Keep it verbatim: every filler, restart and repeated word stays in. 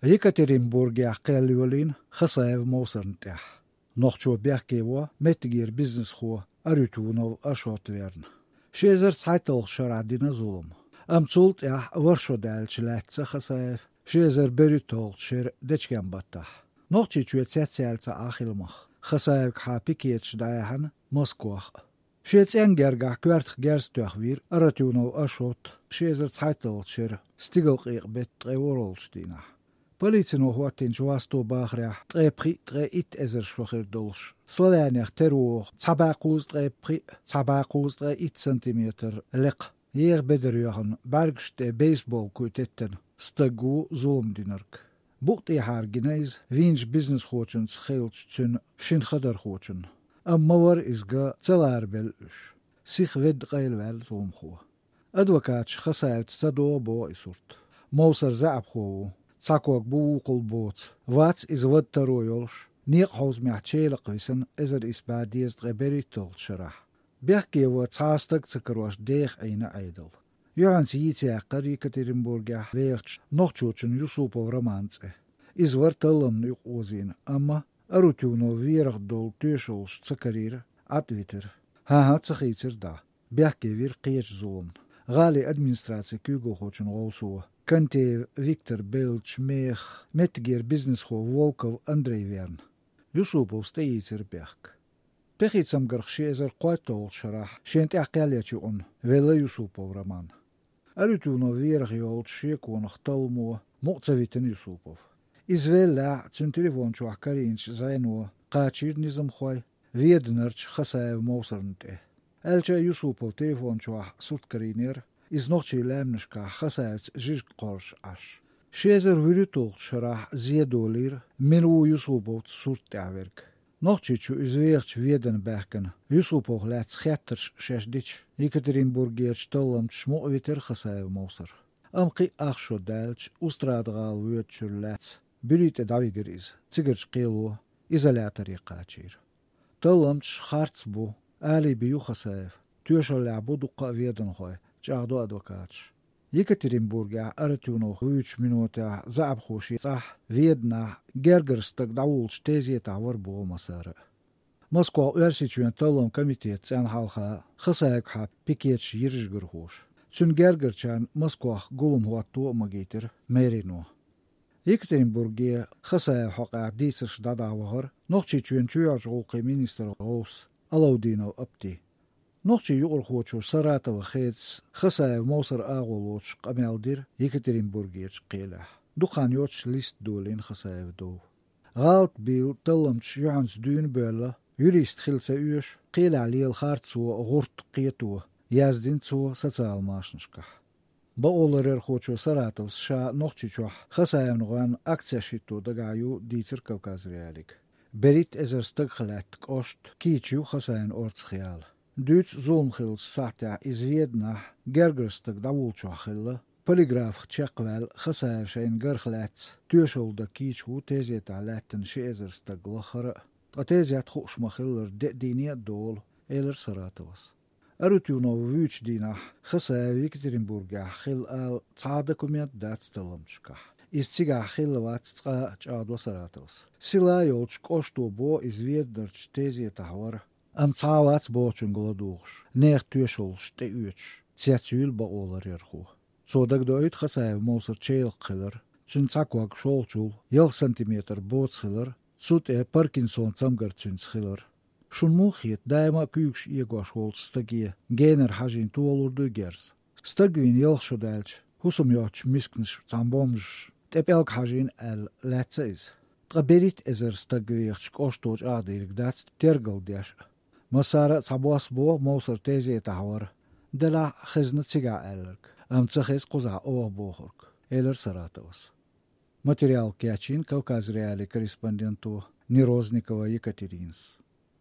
Екатеринбургехь кхел йолийна Хасаев Мовсарна тӀехь. Нохчо бехке во меттигера бизнесхо Арутюнов Ашот верна. Ши эзар цхьайтталгӀачу шарахь дина зулам. Амма цул тӀаьхьа ворхӀ шо даьлча лаьцна Хасаев, ши эзар берхӀитталгӀачу шеран дечкен-баттахь. Нохчийчоь цецъяьлла ца Ӏа хила мах. Хасаевгахьа пикеташ дӀаяьхьна Москвахь а. Шен цӀенгергахь коьртах герз тоьхна вийра Арутюнов Ашот ши эзар цхьайтталгӀачу шеран стигалкъекъа-беттан ткъе ворхӀалгӀачу дийнахь. Полицино хӀоттийначу васто бахарехь, ткъе пхиъ, ткъе итт эзар шо хир долуш, Славянех тера вогӀу цхьа бӀе кхузткъе пхиъ, цхьа бӀе кхузткъе итт сантиметр лекха, еха бедар йоьхна, бӀаьргаш тӀе бейсбол куй теттина стаг ву зулам динарг. Букъ тӀехьара гина иза вийначу бизнесхочуьнца хиллачу цуьнан шина хадархочунна. Амма ма вара иза ган, ца ларабелла уьш. Сиха ведда къайлаваьлла зуламхо. Адвокаташа Хасаевца ца догӀу боху и сурт. Мовсар заьӀапхо ву, цхьа ког бу вукхул боцу. Вац иза вада таро йолуш, некъан хьовзамехь челакх висина эзар исс бӀе дезткъе берхӀитталгӀачу шарахь. Бехке во цхьа а стаг ца карош деха Ӏийна Ӏедал. Юьхьанца йийца яьккхира Екатеринбургехь вехачу нохчочун Юсупов Романан цӀе. Иза вара талламна юкъаозийна, амма Арутюнов верах долу тоьшаллаш ца карийра, Ӏад витира. ХӀан-хӀа, ца хийцира дӀа. Бехке вира кхечу зуламна. ГӀалин администрацин куьйгалхочун гӀовсо Контеев Виктор беллачу мехах меттигера бизнесхо Волков Андрей верна. Юсуповс тӀеийцира бехк. Пехи цамгарх ши эзар кхойтталгӀачу шарахь шена тӀехь кхел ечу юкъана велла Юсупов Роман. Арутюнов верах йолчу шеконах талламо мукъа ца витина Юсупов. Иза веллехь, цуьнан телефон чохь карийначу зӀено кхачийра низамхой Веданарчу Хасаев Мовсарна тӀе. Аьлча а Юсупов телефон чохь сурт карийнера, иза нохчийн лаьмнашкахь Хасаевца жижиг кхорзуш Ӏаш. Ши эзар вуьрхӀитталгӀачу шарахь зе долийра, мила ву Юсуповца сурт тӀехь верг. Нохчийчу иза вехачу Ведана баьхкина, Юсуповх лаьцна хеттарш шаьш дича, Екатеринбургерчу талламчаша мукъа витира Хасаев Мовсар. Амма кхин а ах шо даьлча, Устрада-гӀала воьдучуьра лаьцна буьри тӀе дӀавигира иза, цигарчу кхело изоляторе кхачийра. Талламчаш харц бу, алиби ю Хасаев, тоьшаллехь бу дуккха а веданхой, чӀагӀдо адвокаташа. Екатеринбургехь Арутюновх вуьйчу минотехь заьӀапхо шен цӀахь, Веданахь, гергара стаг дӀавуллучу тезетахь вара боху массара а. Москвахь Оьрсийчоьнан талламан комитетан цӀенна хьалха Хасаевгахьа пикеташ йира жигархоша. Цуьнан гергарчарна Москвахь гулам хӀотто а магийтира мэрино. Екатеринбурге Хасаевн хьокъехь дийцарш дӀадахьа вахара Нохчийчоьнан чоьхьарчу гӀуллакхийн министран гӀовс Алаудинов Апти. Нохчийн юкъархочо Саратова Хедас Хасаев Мовсар агӀо лоцуш къамел дира Екатеринбургерчу кхелехь. Дукха хан йоццуш лист долийна Хасаевн дов. ГӀалат бийла талламчаша юьхьанца дуьйна а боьлла, юрист хила ца оьшу, кхелехь лела харцо, гӀурт кхето, яздина цо социал-машанашкахь. Бакъоларъярхочо Саратовс ша Нохчийчохь Хасаевн гӀоьнна акцеш хӀитто дагахь ю, дийцира Кавказ.Реалиига. БерхӀитта эзар стагах лаьтта кӀошт кийча ю Хасаевн орцах яла. Дуьйцу зулам хиллачу сахьтехь иза Веданахь гергара стаг дӀавуллучохь хилла, полиграфах чекхваьлла Хасаев шайна гарх лаьцна тоьшалла дан кийча ву тезетахь лаьттина ши эзар стаг лаххара а, ткъа тезет хууш ма-хиллара деа дийне а долу, элира Саратовс. Арутюнов вуьйчу дийнахь Хасаев Екатеринбургехь хилла ала цхьа а документ дац талламчашкахь. Иза цигахь хилла вац цкъа а, чӀагӀдо Саратовс. Сила йолчу кӀошто боху иза Веданарчу тезетахь вара. Амма цхьа а вац бохучуьнга ладугӀуш, нехан тоьшаллаш тӀеоьцуш, цецйуьйла бакъоларъярхо. Цо дагадоуьйту Хасаев Мовсар челакх хилар, цуьнан цхьа ког шолгӀачул ялх сантиметр боца хилар, цу тӀе Паркинсон цамгар цуьнца хилар. Шуна муха хета, даима а куьйгаш эгош волчу стаге генара хьажийна толур дуй герз? Стаг вийна ялх шо даьлча, хӀусам йоцучу мисканаш, цхьана бомжаша тӀе пӀелг хьажийна аьлла, лаьцна иза. Ткъа берхӀитта эзар стаг вехачу кӀошто чӀагӀдийриг дац тергал деш а. Массара а цхьабосса боху Мовсар тезетахь вара, делахь а хезна цигахь аьлларг, амма ца хеза кхузахь оха бохург, элира Саратовс. Материал кечйина Кавказ.Реалиин корреспонденто Нерозникова Екатеринас.